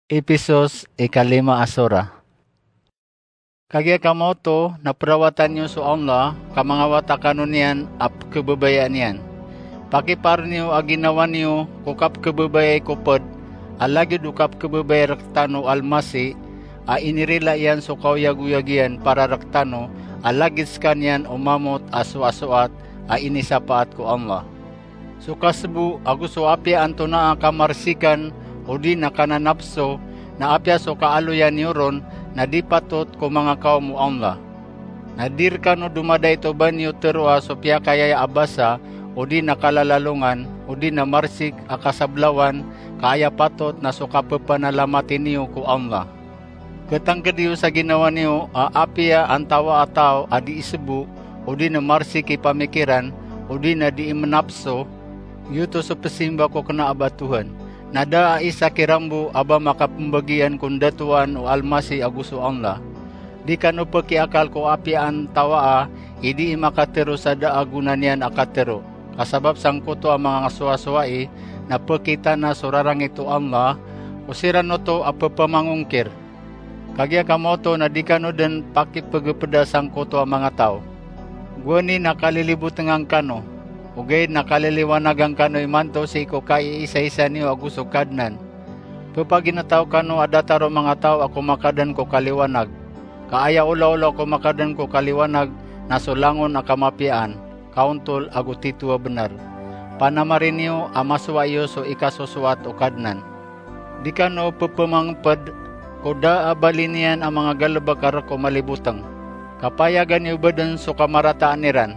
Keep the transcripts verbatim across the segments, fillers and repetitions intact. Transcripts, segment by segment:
Episos ikalima a sura. Kagiya kamaoto na perawatan iyo so Allah, ka mangawata kano niyan a pekebabayaan iyan. Pakipaar niyo a ginawa niyo ko kapekebabayai ko ped, a lagid o kapekebabayai rektano o Almasih, a inirila iyan so kaoyagoyag iyan para rektano, a lagid sekaniyan o mamot a soasoat a inisapaat ko Allah. So kasebo ago so apiya antonaa a kamarsikan odi na kananapso, na apiya so kaaloyan iyo ron, na di patot ko manga kawm o Allah. Na di rekano domadait o ba niyo teroa so piyakayaya a basa odi na kalalalongan odi na marsik a kasablawan, ka aya patot na so kapepanalamat iyo ko Allah. Ketangked iyo sa ginawa niyo a apiya antawaa a taw a dii sebo, odi na marsik i pamikiran, odi na dii menapso, giyoto so pesimba ko kena a ba Tuhan. Na da a isa kiran bo a ba makapembagian ko ndatowaan o Almasih ago so Allah. Di kano pekiakal ko apiya antawaa i dii makatero sa da a gona niyan a katero. Ka sabap sangkoto a manga soasowai, na pekitana so rarangit o Allah, ko siran oto a pepamangongkir. Kagiya kamaoto na di kano den pakipegepeda sangkoto a manga taw. Gowani na kalilibotengan kano, ogaid na kaliliwanagan kano imanto sii ko kaiisaisa niyo ago so Kadnan. Pepaginetaw kano a datar o manga taw a komakaden ko kaliwanag. Ka aya olaola o komakaden ko kaliwanag na so langon a kamapiyaan, kaontol ago tito a benar. Panamari niyo a masowa iyo so ikasosowat o Kadnan. Di kano pepemangeped ko da a bali niyan a manga galebek a rek o maliboteng. Ka payagan iyo bo den so kamarataan iran.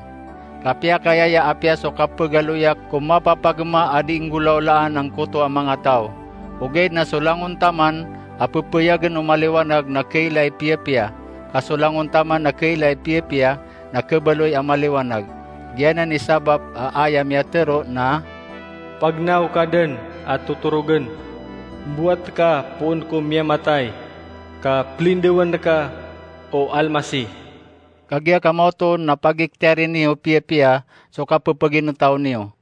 Ka piyakayaya apiya so kapegaloyak ko mapapagema a dii nggolaolaan angkoto a manga taw. Ogaid na so langon taman a pepeyagen o maliwanag na kailay piyapiya, ka so langon taman a kailay piyapiya na kebaloy a maliwanag. Giyanan i sabap a aya miyatero na, "Pagnaw ka den a totorogen. Mbowat ka poon ko miyamatay, ka pelindawan ka o Almasih." Kagiya kamaoto na pagiktiyarin iyo piyapiya so kapepaginetaw niyo.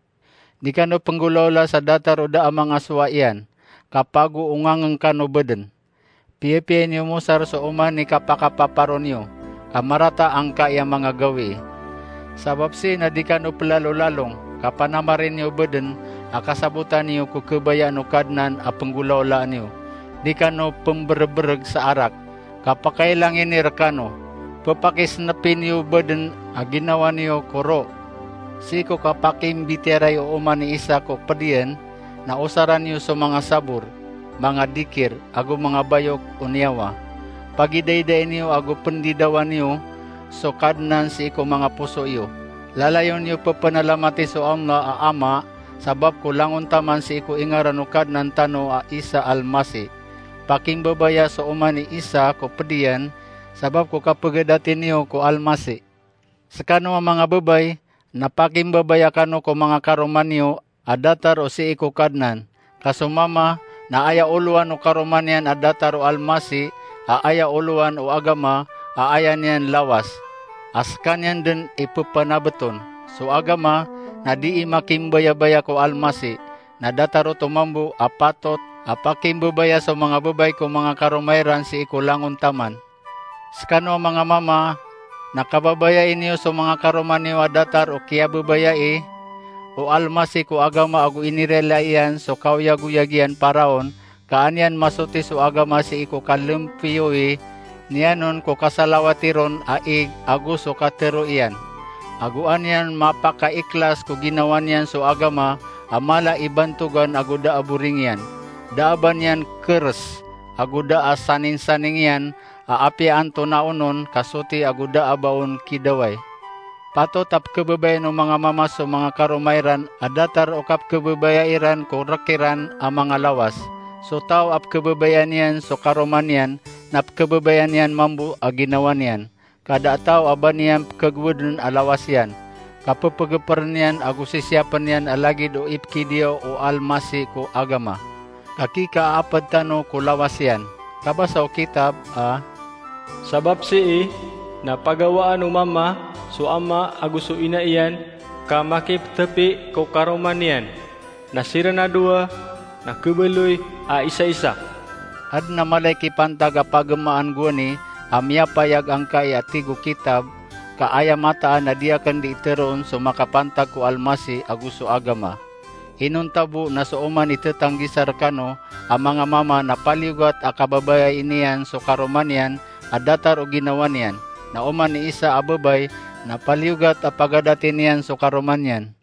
Di kano penggolaola sa datar o da a manga sowa iyan, ka pagoongangen kano bo den. Piyapiyai niyo mosar so oman i kapakapaparo niyo, ka marata angkai a manga gawii. Sabap sii na di kano pelalolalong, ka panamari niyo bo den a kasabotan iyo ko kebayaan o Kadnan a penggolaolaan iyo. Di kano pemberebereg sa arak, ka pakailangin i rekano. Pepakisenepi niyo bo den a ginawa niyo ko ro. Sii ko kapakimbitiyarai o oman i isa ko ped iyan, na osaran iyo so manga sabor, manga dikir, ago manga bayok o niyawa. Pagidaidain iyo ago pendidawan iyo so Kadnan sii ko manga poso iyo. Lalayon iyo pepenalamati so Allah a Ama, sabap ko langon taman sii ko ingaran o Kadnan tano a Isa Almasih. Pakimbabaya so oman i isa ko ped iyan, sabap ko kapegadati niyo ko Almasih. Sekano a manga babay, na pakimbabaya kano ko manga karoma niyo a datar o sii ko Kadnan. Ka so mama, na aya olowan o karoma niyan a datar o Almasih, a aya olowan o agama, a aya niyan lawas. A sekaniyan den i pepanabeton. So agama, na dii makimbayabaya ko Almasih, na datar oto mambo a patot a pakimbabaya so manga babay ko manga karoma iran sii ko langon taman. Sekano a manga mama, na kababayai niyo so manga karoma niyo a datar o kiyababayai o Almasih ko agama ago inirila iyan so kaoyagoyag iyan paraon, ka an iyan masoti so agama sii ko kalempiyowi niyan on ko kasalawati ron a ig ago so katero iyan. Ago an iyan mapakaikhlas ko ginawa niyan so agama a mala i bantogan ago da a boring iyan. Da a ba niyan keres, ago da a saningsaning iyan, a apiya antonaa onon kasoti ago da a ba on kidawai. Patot a pekebabayaan o manga mama so manga karoma iran a datar o kapekebabayai ran ko rek iran a manga lawas. So taw a pekebabayaan iyan so karoma niyan, na pekebabayaan iyan mambo a ginawa niyan. Ka da a taw a ba niyan pekegoweden a lawas iyan, ka pepegeperen iyan ago sisiyapen iyan a lagid o ipekidiyaw o Almasih ko agama. Ka kikaaped tano ko lawas iyan. Kabasa o kitab a, "Sabap sii na pagawaan o mama so ama ago so ina iyan, ka makipetepi ko karoma niyan, na siran a dowa na kebaloy a isaisa." Adn a mala i kipantag a pagamaan gowani a miyapayag angkai a tig o kitab, ka aya mataan a di akn di iteroon so makapantag ko Almasih ago so agama. Inonta bo na so oman i tetanggisar kano a manga mama na paliyogat a kababayai niyan so karoma niyan a datar o ginawa niyan, na oman i isa a babay na paliyogat a pagadati niyan so karoma niyan.